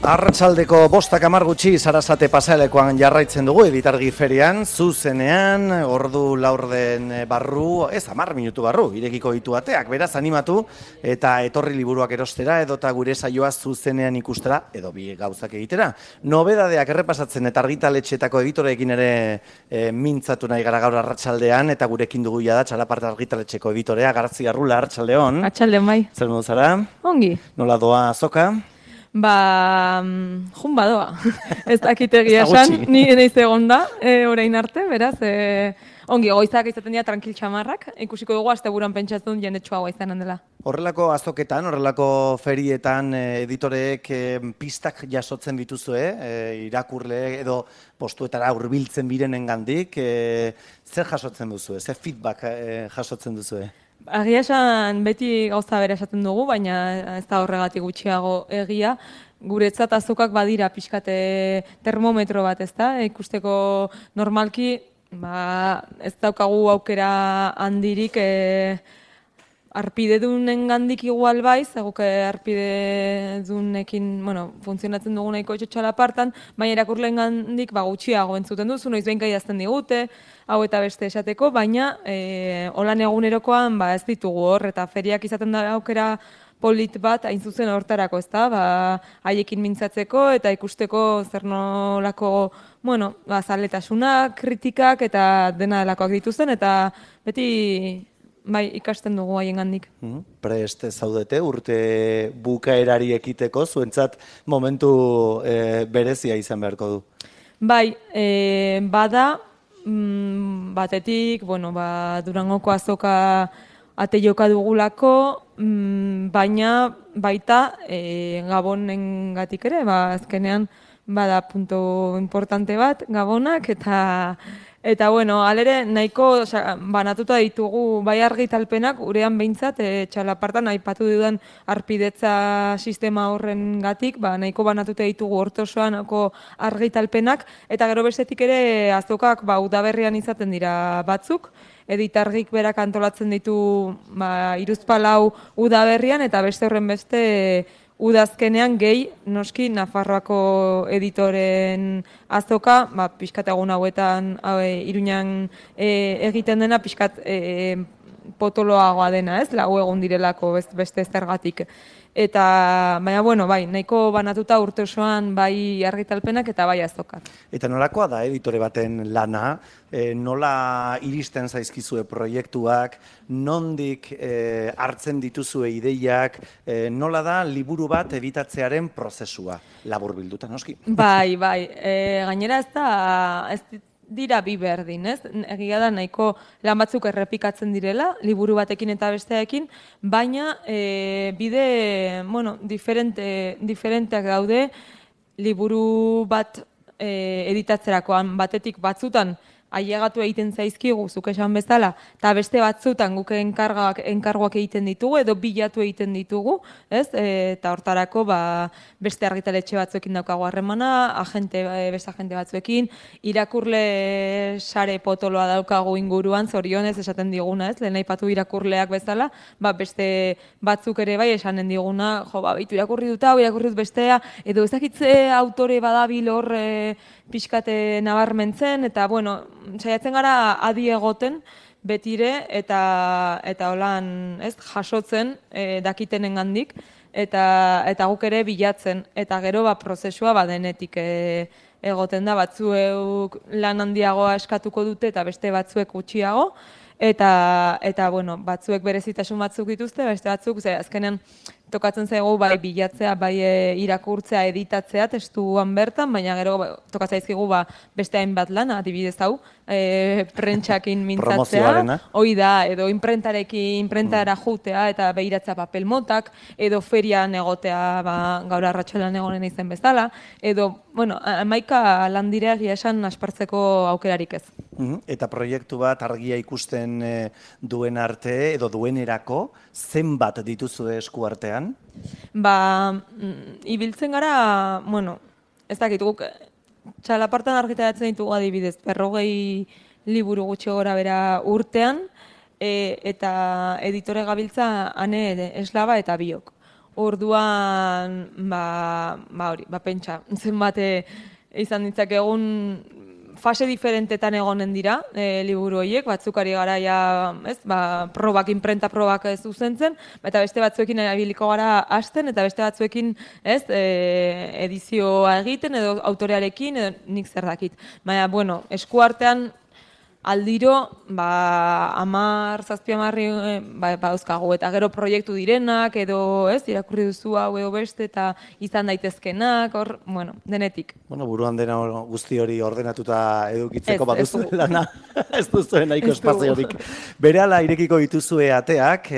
Arratsaldeko 5:10 gutxi Sarasate pasealekuan jarraitzen dugu Editargi ferian, zuzenean, ordu laurden barru, ez 10 minutu barru, irekiko ditu ateak, beraz animatu eta etorri liburuak erostera edota gure saioa zuzenean ikustera edo bi gauzak egitera. Nobedadeak errepasatzen eta argitaletxetako editoreekin ere mintzatu nahi gara gaur arratsaldean eta gurekin dugu ja da Txalaparta argitaletxeko editorea Gartzi Arrula, arratsaldeon. Arratsaldeon bai. Zer modu zara? Ongi. Nola doa azoka? Jun badoa, ez dakitegia esan, ni naiz egonda, orain arte, beraz, ongi, goizak izaten dira tranquil txamarrak, ikusiko dugu asteburuan pentsatzen jendetsua izanen dela. Horrelako azoketan, horrelako ferietan editoreek pistak jasotzen dituzue, irakurle edo postuetara hurbiltzen birenengandik, zer jasotzen duzue, zer feedback jasotzen duzue? Agia esan beti gauza bera esaten dugu, baina ez da horregatik gutxiago egia. Guretzat azokak badira pixkate termometro bat, ez da? Ikusteko normalki ez daukagu aukera handirik arpidedunen-gandik igual baiz, eguke arpidedunekin, funtzionatzen dugu nahiko Txalapartan, baina irakurleen-gandik gutxiago entzuten duzu, noiz behinka idazten digute, hau eta beste esateko, baina holan egunerokoan ez ditugu hor, eta feriak izaten da aukera polit bat, hain zuzen hortarako, ez da, haiekin mintzatzeko eta ikusteko zer nolako, zaletasunak, kritikak eta dena delakoak dituzten, eta beti ikasten dugu haiengandik. Prest zaudete urte bukaerari ekiteko, zuentzat momentu berezia izan beharko du? Bai, bada, batetik, Durangoko azoka ate joka dugulako, baina baita Gabonengatik ere, azkenean bada punto importante bat Gabonak eta alere nahiko banatuta ditugu bai argitalpenak urean behintzat Txalapartan aipatu dudan arpidetza sistema horrengatik nahiko banatuta ditugu hortosoanako argitalpenak eta gero bestetik ere azokak udaberrian izaten dira batzuk. Editargik berak antolatzen ditu hiruzpalau udaberrian eta beste horren beste udazkenean gehi, noski, Nafarroako editoren azoka, pixkat egun hauetan Iruñan egiten dena, pixkat potoloagoa dena, ez? Lau egun direlako beste zergatik. Eta, baina, nahiko banatuta urte osoan bai argitalpenak eta bai azokak. Eta nolakoa da editore baten lana, nola iristen zaizkizue proiektuak, nondik hartzen dituzue ideiak, nola da liburu bat editatzearen prozesua, laburbilduta, noski? Bai, gainera ez dira bi berdin, ez? Egia da nahiko lan batzuk errepikatzen direla, liburu batekin eta besteekin, baina bide, diferenteak daude liburu bat editatzerakoan batetik batzutan ailegatu egiten zaizkigu, zuk esan bezala, eta beste batzutan guk enkargoak egiten ditugu, edo bilatu egiten ditugu, ez? Eta hortarako beste argitaletxe batzuekin daukagu harremana, beste agente batzuekin, irakurle sare potoloa daukagu inguruan, zorionez esaten diguna, ez? Lehen aipatu irakurleak bezala, beste batzuk ere bai esanen diguna, bitu irakurri dut hau, irakurri dut bestea, edo ezakitze autore badabil hor pixkate nabarmentzen, eta, saiatzen gara adi egoten betire eta holan, ez, jasotzen dakitenengandik eta guk ere bilatzen eta gero prozesua denetik egoten da, batzuek lan handiagoa eskatuko dute eta beste batzuek gutxiago eta batzuek berezitasun batzuk dituzte, beste batzuk, azkenean tokatzen zaigu bai bilatzea, bai irakurtzea, editatzea testuan bertan, baina gero tokatzen zaizkigu beste hainbat lan, adibidez hau, prentsakin mintzatzea, hoi da, edo imprentara jutea eta behiratzea papel motak, edo ferian egotea gaur arratsaldean egonen izen bezala, edo, hamaika lan dira egia esan aspertzeko aukerarik ez. Eta proiektu bat argia ikusten duen arte edo duenerako, zenbat dituzu esku artean? Ibiltzen gara, ez dakit, guk Txalapartan argitaratzen ditugu adibidez, 40 liburu gutxi gora bera urtean, eta editore gabiltza ane eslaba eta biok. Orduan, hori, pentsa, zenbat izan ditzakegun fase diferentetan egonen dira liburu horiek, batzuk ari gara ja, probak, inprenta probak zuzentzen, eta beste batzuekin erabiliko gara hasten, eta beste batzuekin edizioa egiten, edo autorearekin, edo nik zer dakit. Baina, bueno, eskuartean aldiro, 10-7 dauzkagu, eta gero proiektu direnak, edo irakurri duzu hau edo beste, eta izan daitezkenak, hor, bueno, denetik. Bueno, buruan dena guzti hori ordenatuta edukitzeko baduzu lana, ez duzuen nahiko espaziorik. Berehala irekiko dituzue ateak,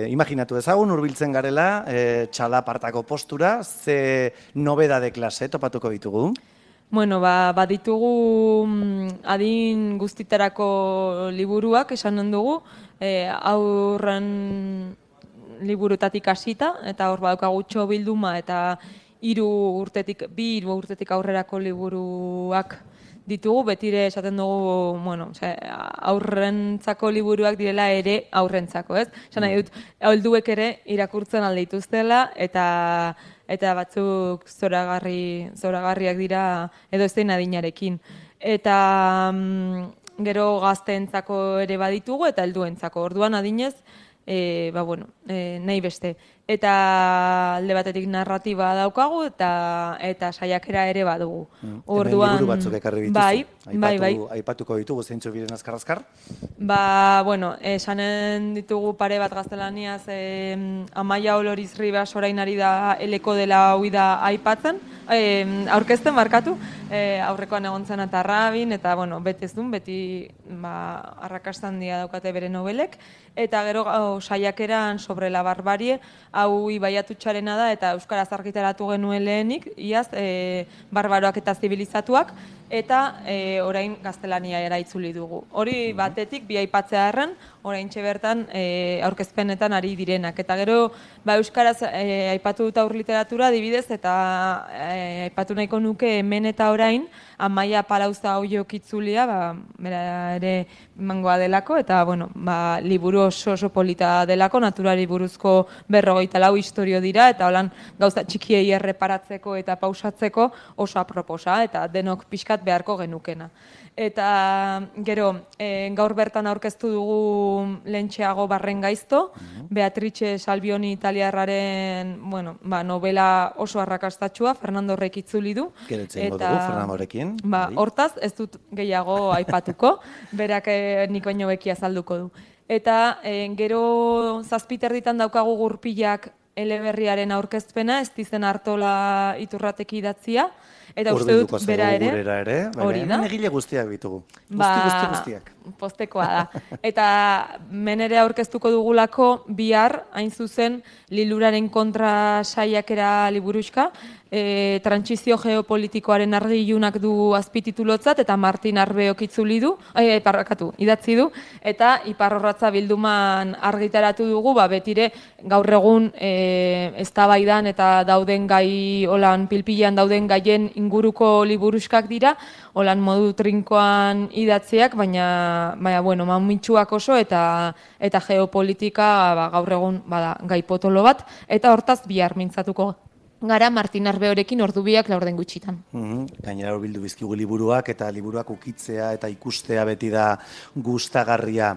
imaginatu ezagun, hurbiltzen garela, txalapartako postura, ze nobedade klase topatuko ditugu? Bueno, ditugu adin guztiterako liburuak esan dugu, aurren liburutatik hasita, eta hor badaukagu txobilduma eta 2 urtetik aurrerako liburuak ditugu, betire esaten dugu, bueno, aurrentzako liburuak direla ere aurrentzako, ez? Esan nahi dut, helduek ere irakurtzen alde dituztela, eta batzuk zoragarriak dira edo zein adinarekin. Eta gero gazteentzako ere baditugu eta helduentzako. Orduan adinez, nahi beste. Eta alde batetik narratiba daukagu eta saiakera ere badugu. Orduan liburu batzuk ekarri dituzu. Bai. Aipatuko ditugu zeintzu biren azkar-azkar? Esanen ditugu pare bat gaztelaniaz, Amaia Oloriz Ribas orain ari da eleko dela huida aipatzen, aurkezten barkatu, aurrekoan egon zen eta Rabin, eta beti ez duen, beti arrakastan dia daukate bere nobelek, eta gero saiakeran sobre la barbarie, hau Ibaiatutxarena da, eta euskaraz argitaratu genuen lehenik, iaz, barbaroak eta zibilizatuak, eta orain gaztelania itzuli dugu. Hori batetik, bi aipatzea erren, orain bertan aurkezpenetan ari direnak. Eta gero, euskaraz aipatu dut aur literatura adibidez, eta aipatu nahiko nuke hemen eta orain, Amaia Palauza Oiok itzulia, bera ere mangoa delako, eta liburu oso polita delako, naturari buruzko 54 istorio dira, eta holan gauza txikiei erreparatzeko eta pausatzeko oso aproposa, eta denok pixkat beharko genukena. Eta gero, gaur bertan aurkeztu dugu lentxeago Barren gaizto, Beatrice Salvioni italiarraren novela oso arrakastatxua, Fernando Horrek itzuli du. Geretzen dugu, Fernando Horrekin. Hortaz, ez dut gehiago aipatuko, berak nik baino beki azalduko du. Eta gero 7 ditan daukagu Gurpilak eleberriaren aurkezpena, ez dizen Artola Iturrateki idatzia, eta uste dut bera ere, hori da. Egile guztiak bitugu, guztiak. Postekoa da. Eta menere aurkeztuko dugulako bihar, hain zuzen, Liluraren kontra saiakera liburuxka, trantsizio geopolitikoaren argilunak du azpititulotzat, eta Martin Arbeok idatzi du, eta Iparrorratza bilduman argitaratu dugu, betire gaur egun eztabaidan eta dauden gai, holan pilpilean dauden gaien inguruko liburuxkak dira, holan modu trinkoan idatziak, baina mamitsuak oso eta geopolitika gaur egun gai potolo bat, eta hortaz bihar mintzatuko gara Martin Arbeorekin ordubiak 4 gutxitan. Gainera bildu bizkigu liburuak, eta liburuak ukitzea eta ikustea beti da gustagarria.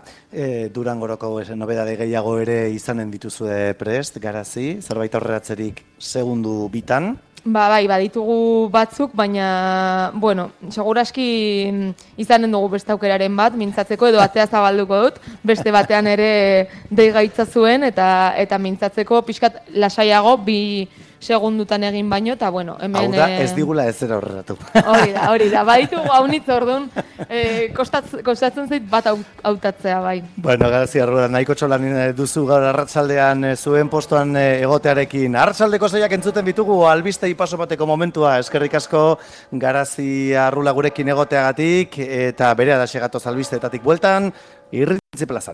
Durangoroko nobedade gehiago ere izanen dituzue prest, Garazi, zerbait aurreratzerik segundu bitan? Baditugu batzuk, baina, seguraski izanen dugu beste aukeraren bat, mintzatzeko edo atea zabalduko dut, beste batean ere deigaitza zuen, eta mintzatzeko pixkat lasaiago, 2 segundutan egin baino, eta hemen... Hau da, ez digula ez zera horreratu. Hori da, baditugu haunitz orduan, kostatzen zait bat hautatzea, bai. Garazi, Arruda, nahiko txolan duzu gaur arratsaldean zuen postuan egotearekin. Arratsaldeko saioak entzuten ditugu, albiste paso bateko momentua, eskerrik asko Garazi Arrula gurekin egoteagatik, eta bere adasegatoz albisteetatik bueltan, Irrintzi plazan.